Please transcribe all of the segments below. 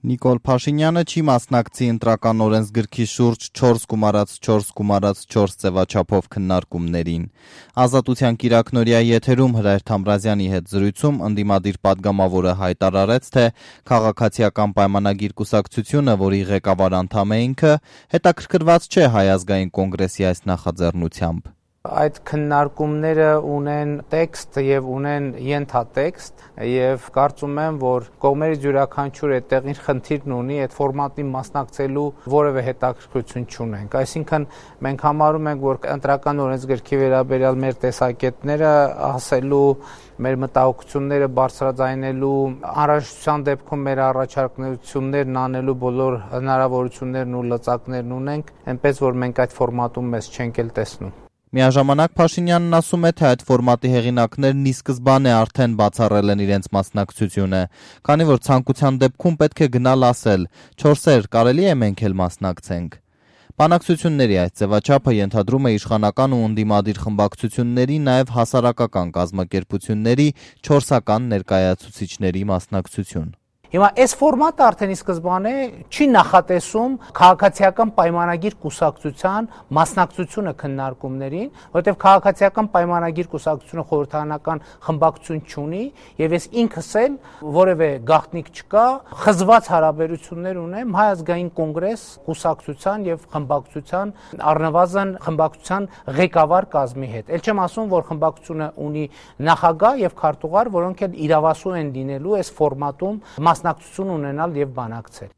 Նիկոլ Փաշինյանը չի մասնակցի ընտրական օրենսգրքի շուրջ 4x4x4 ձևաչափով քննարկումներին։ Ազատության կիրակնօրյա եթերում Հրայր Թամրազյանի հետ զրույցում ընդդիմադիր պատգամավորը հայտարարեց, թե քաղաքացիական պայմանագիր կուսակցությունը, որի ղեկավար անդամ է ինքը, հետաքրքրված չէ Հայ ազգային կոնգրեսի այս նախաձեռնությամբ։ Այդ քննարկումները ունեն տեքստ եւ ունեն ենթատեքստ եւ կարծում եմ, որ կողմերից յուրաքանչյուր այդտեղ իր խնդիրն ունի, այդ ֆորմատին մասնակցելու որևէ հետաքրքրություն չունենք։ Այսինքն մենք համարում ենք, որ ընտրական օրենսգրքի վերաբերյալ մեր տեսակետները ասելու, մեր մտահոգությունները բարձրաձայնելու, անհրաժեշտության դեպքում մեր առաջարկություններն անելու բոլոր հնարավորություններն ու լծակներն ունենք, այնպես որ մենք այդ ֆորմատում մեզ չենք էլ տեսնում։ Միաժամանակ Փաշինյանն ասում է, թե այդ ֆորմատի հեղինակներն ի սկզբանե արդեն բացառել են իրենց մասնակցությունը, քանի որ ցանկության դեպքում պետք է գնալ ասել՝ 4-եր կարելի է մենք էլ մասնակցենք։ Բանակցությունների այս ձևաչափը ենթադրում է իշխանական ու ընդդիմադիր խմբակցությունների, նաև հասարակական կազմակերպությունների 4-ական ներկայացուցիչների մասնակցություն։ Հիմա այս ֆորմատը արդեն ի սկզբանե չի նախատեսում քաղաքացիական պայմանագիր կուսակցության մասնակցությունը քննարկումներին, որովհետև քաղաքացիական պայմանագիր կուսակցությունը խորհրդարանական խմբակցություն չունի, եւ ես ինքս էլ որևէ գաղտնիք չկա, խզված հարաբերություններ ունեմ Հայ ազգային կոնգրես կուսակցության եւ խմբակցության, առնվազն խմբակցության ղեկավար կազմի հետ։ Էլ չեմ ասում, որ խմբակցությունը ունի նախագահ եւ քարտուղար, որոնք էլ իրավասու են լինելու այս ֆորմատում մասնակցություն ունենալ եւ բանակցել։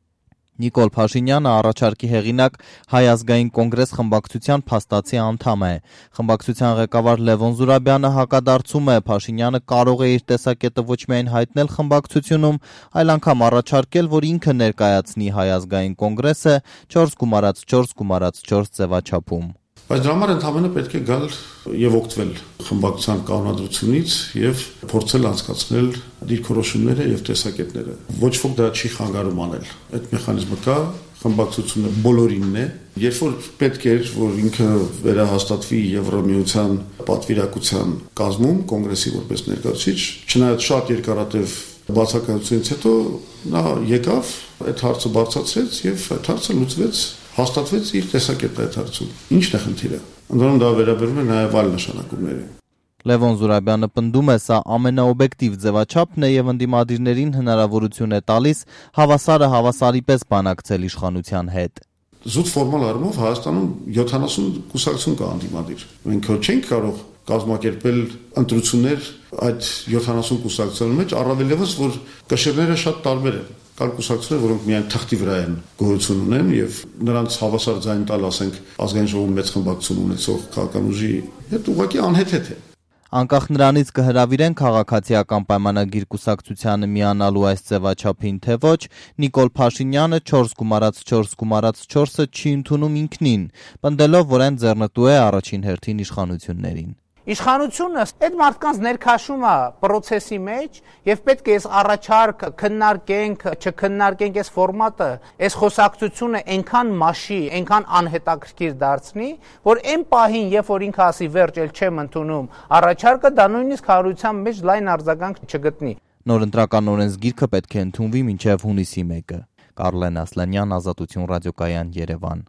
Նիկոլ Փաշինյանը առաջարկի հեղինակ Հայ ազգային կոնգրես խմբակցության փաստացի անդամ է։ Խմբակցության ղեկավար Լևոն Զուրաբյանը հակադարձում է, Փաշինյանը կարող է իր տեսակետը ոչ միայն հայտնել խմբակցությունում, այլ անգամ առաջարկել, որ ինքը ներկայացնի Հայ ազգային կոնգրեսը 4x4x4 ձևաչափում։ Բայց դրա համար ընդհանրապես պետք է գալ եւ օգտվել խմբակցության կանոնադրությունից եւ փորձել անցկացնել դիրքորոշումները եւ տեսակետները։ Ոչ ոք դա չի խանգարում անել։ Այդ մեխանիզմը կա, խմբակցությունը բոլորինն է։ Երբ որ պետք էր, որ ինքը վերահաստատվի Եվրոմիության պատվիրակության կազմում, կոնգրեսի որպես ներկայացուցիչ, չնայած շատ երկարատև բացակայությունից հետո նա եկավ, այդ հարցը բարձրացրեց եւ այդ հարցը լուծվեց, հաստատվեց իր տեսակետը այդ հարցում։ Ինչն է խնդիրը։ Ընդհանրապես դա վերաբերում է նաեւ այլ նշանակումների։ Լևոն Զուրաբյանը պնդում է, սա ամենաօբյեկտիվ ձևաչափն է եւ ընդդիմադիրներին հնարավորություն է տալիս հավասարը հավասարի պես բանակցել իշխանության հետ։ Զուտ ֆորմալ առումով Հայաստանում 70 կուսակցություն կա ընդդիմադիր։ Մենք չենք կարող կազմակերպել ընտրություններ այդ 70 կուսակցության մեջ, առավել եւս որ կշիռները շատ տարբեր են։ Կան կուսակցություններ, որոնք միայն թղթի վրա են գոյություն ունեն եւ նրանց հավասար ձայն տալ, ասենք, ազգային ժողովում մեծ խմբակցություն ունեցող քաղաքական ուժի հետ ուղղակի անհեթեթ է։ Անկախ նրանից կհրավիրեն քաղաքացիական պայմանագիր կուսակցությանը միանալու այս ձևաչափին թե ոչ, Նիկոլ Փաշինյանը 4x4x4-ը չի ընդունում ինքնին, պնդելով, որ այն ձեռնտու է առաջին հերթին իշխանություններին։ Իշխանությունը այդ մարդկանց ներքաշում է process-ի մեջ եւ պետք է այս առաջարկ քննարկենք, չքննարկենք այս ֆորմատը, այս խոսակցությունը այնքան մաշի, այնքան անհետաքրքիր դարձնի, որ այն պահին, երբ որ ինքը ասի վերջ, էլ չեմ ընդունում առաջարկը, դա նույնիսկ հանրության մեջ լայն արձագանք չգտնի։ Նոր ընտրական օրենսգիրքը պետք է ընդունվի մինչև հունիսի 1-ը։ Կարլեն Ասլանյան, Ազատություն ռադիոկայան, Երևան։